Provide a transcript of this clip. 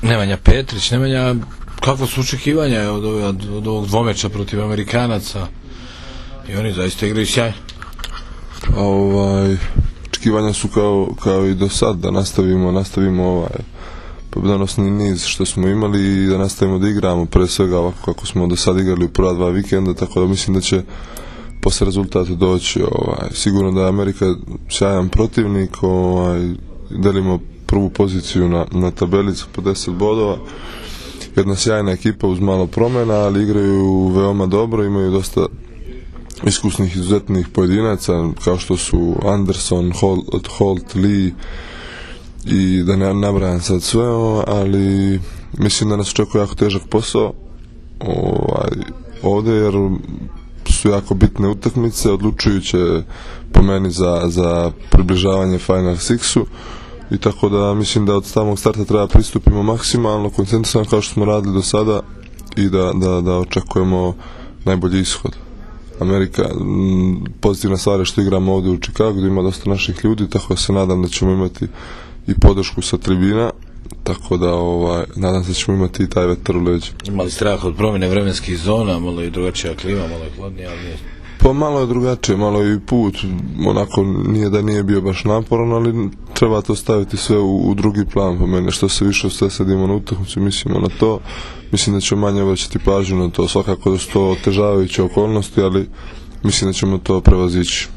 Nemanja Petrić, Nemanja, kakva su očekivanja od ovog dvomeča protiv Amerikanaca, i oni zaista igraju sjajno. Očekivanja su kao i do sad, da nastavimo pobjedonosni niz što smo imali i da nastavimo da igramo pre svega ovako kako smo do sad igrali u prva 2 vikenda, tako da mislim da će posle rezultata doći. Sigurno da je Amerika sjajan protivnik, delimo prvu poziciju na tabelicu po 10 bodova, jedna sjajna ekipa uz malo promjena, ali igraju veoma dobro, imaju dosta iskusnih, izuzetnih pojedinaca kao što su Anderson, Holt, Lee i da ne nabrajam sad sve, ali mislim da nas očekuje jako težak posao ovdje, jer su jako bitne utakmice, odlučujuće po meni za približavanje Final Sixu, i tako da mislim da od samog starta treba pristupimo maksimalno koncentrisano kao što smo radili do sada i da očekujemo najbolji ishod. Amerika, pozitivna stvar je što igramo ovdje u Chicagu, gdje ima dosta naših ljudi, tako da se nadam da ćemo imati i podršku sa tribina, tako da nadam se da ćemo imati i taj vetar u leđu. Imali strah od promjene vremenskih zona, malo je drugačija klima, malo je hladnija, ali nije. Pa malo je drugačije, malo je i put, onako nije da nije bio baš naporan, ali treba to staviti sve u drugi plan po mene, što se više usredsredimo na utakmicu, mislimo na to, mislim da ćemo manje obraćati pažnju na to, svakako da su to otežavajuće okolnosti, ali mislim da ćemo to prevazići.